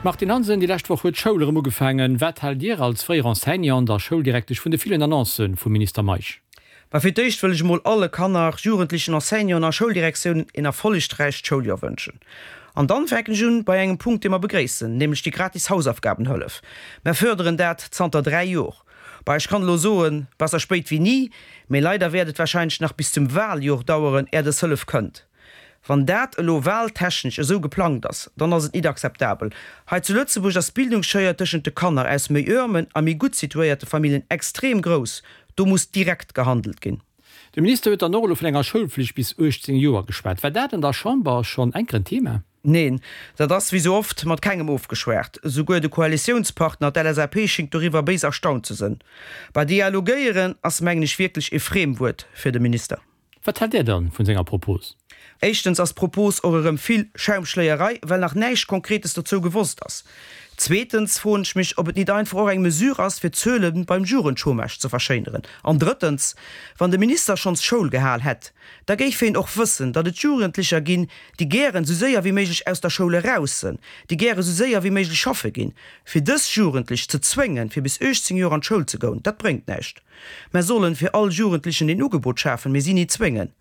Martine Hansen, Déi lescht Woch huet d'Schoul erëm ugefaangen. Wat haalt Dir als fréier Enseignant a Schouldirektesch vun de villen Annoncë vum Minister Meisch? Mä fir d'éischt wëll ech emol alle Kanner, Jugendlichen, Enseignanten a Schouldirektiounen een erfollegräicht Schouljoer wënschen. An dann fänken ech un bei engem Punkt, dee mer begréissen, nämlech déi gratis Hausaufgabenhëllef. Mer fërderen dat zanter 3 Jor. Bah, ech kann elo soen, besser spéit wéi ni, mee leider wäert et wahrscheinlech nach bis zum Waljor daueren, är dës Hëllef kënnt. Wann dat elo wahltechnesch esou geplangt ass, dann ass et nit akzeptabel. Hei zu Lëtzebuerg ass d'Bildungsschéier tëschent de Kanner aus méi ërmen a méi gutt situéierte Familljen extrem grouss. Do muss direkt gehandelt ginn. De Minister huet dann och elo vun enger Schoulflicht bis 18 Joer geschwat. War dat an der Chamber schonn enker en Thema? Neen, dat ass wéi sou oft mat kengem ofgeschwat. Souguer de Koalitiounspartner, d'LSAP, schingt doriwwer béis erstaunt ze sënn. Bah, dialogéieren ass mengen ech wierklech e Friemwuert fir de Minister. Wat haalt Där dann vun senger Propos? Éischtens ass d'Propos och erëm vill Schaumschléierei, well nach näischt Konkretes dozou gewosst ass. Zweetens froen ech mech, ob et nit einfach och eng Mesure ass, fir d'Zuele beim Jugendchômage ze verschéineren. An drëttens, wann de Minister schonns Schoul gehal hätt, da géif heen och wëssen, datt et Jugendlecher ginn, déi gären esou séier wéi méiglech aus der Schoul eraus sënn, déi gäre esou séier wéi méiglech schaffe ginn. Fir dës Jugendlech ze zwéngen, fir bis 18 Joer an d'Schoul ze goun, dat bréngt näischt. Mer sollen fir all Jugendlichen een Ugebot schafen, mee si ni zwéngen.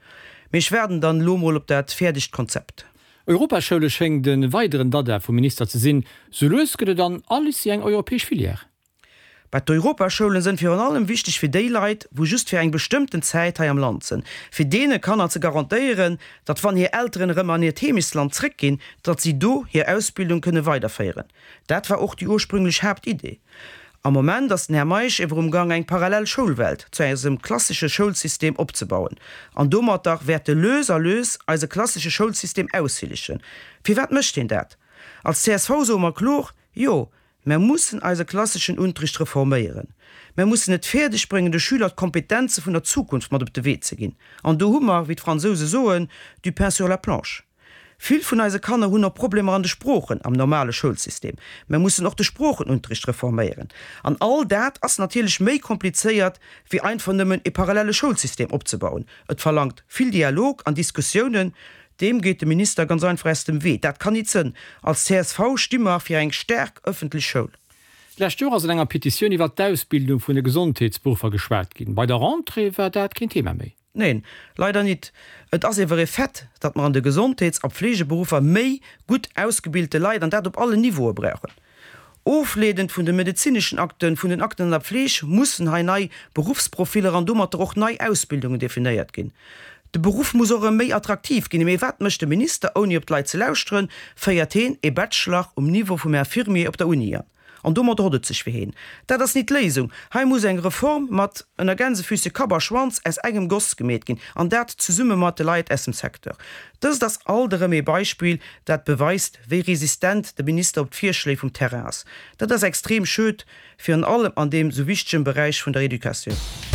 Mee ech waarden dann elo mol op dat fäerdegt Konzept. Europaschoule schéngt e weideren Dada vum Minister ze sinn. Sou lues gëtt et an all Lycée eng europäesch Filière. Bah, d'Europaschoulen sënn virun allem wichteg fir déi Leit, wou just fir eng bestëmmten Zäit hei am Land sënn, fir deene Kanner ze garantéieren, datt wann hir Elteren erëm an hiert Heemechtsland zréckginn, datt si do hir Ausbildung kënne weiderféieren. Dat war och déi ursprünglech Haaptidee. Am Moment ass den Här Meisch ewer um Gang eng parallel Schoulwelt zu eisem klassesche Schoulsystem opzebauen. An domatter wäert e lös a lös eise klassesche Schoulsystem aushillegen. Firwat mécht hien dat? Als csv soe mer klor, Jo, mer mussen eise klasseschen Unterricht reforméieren. Mer mussen et fäerdeg bréngen, de Schüler d'Kompetenze vun der Zukunft mat op de Wee ze ginn. An do hu mer, wéi d'Fransouse soen, du pain sur la planche. Vill vun eise Kanner hunn och Problemer an de Sproochen am normale Schoulsystem. Mer mussen och de Sproochenunterricht reforméieren. An all dat ass natierlech méi komplizéiert, wéi einfach nëmmen e parallele Schoulsystem opzebauen. Et verlangt vill Dialog an Diskussiounen. Deem geet de Minister ganz einfach aus dem Wee. Dat kann nit sënn. Als csv sti mer fir eng staark ëffentlech Schoul. D'lescht Joer ass an enger Petitioun iwwert d'Ausbildung vun de Gesondheetsberuffer geschwat ginn. Bei der Rentrée war dat keen Thema méi. Neen, leider nit. Et ass ewer e Fait, datt mer an de Gesondheets a Pflegeberuffer méi gutt ausgebilte Leit, an dat op allen Niveaue brauchen. Ofleedend vun de medezineschen Akten, vun den Akten an der Pfleg mussen hei nei Beruffsprofiller an domatter och nei Ausbildungen definéiert ginn. De Beruff muss och erëm méi attraktiv ginn. Mee wat mécht de Minister? Ouni op d'Leit ze lauschteren, féiert heen e Bachelor um Niveau vum Infirmier op der Uni an. An domadder hott et sech fir heen. Dat ass nit d'Léisung. Hei muss eng Reform mat, ënner Gänsefüße, Kapp a Schwanz aus engem Goss gemeet ginn, an dat zesumme mat de Leit aus dem Secteur. Dëst ass alt erëm ee Beispill, dat beweist, wéi resistent de Minister op d'Virschléi vum Terrain ass. Dat ass extrem schued, virun allem an deem sou wichtegen Beräich vun der Educatioun.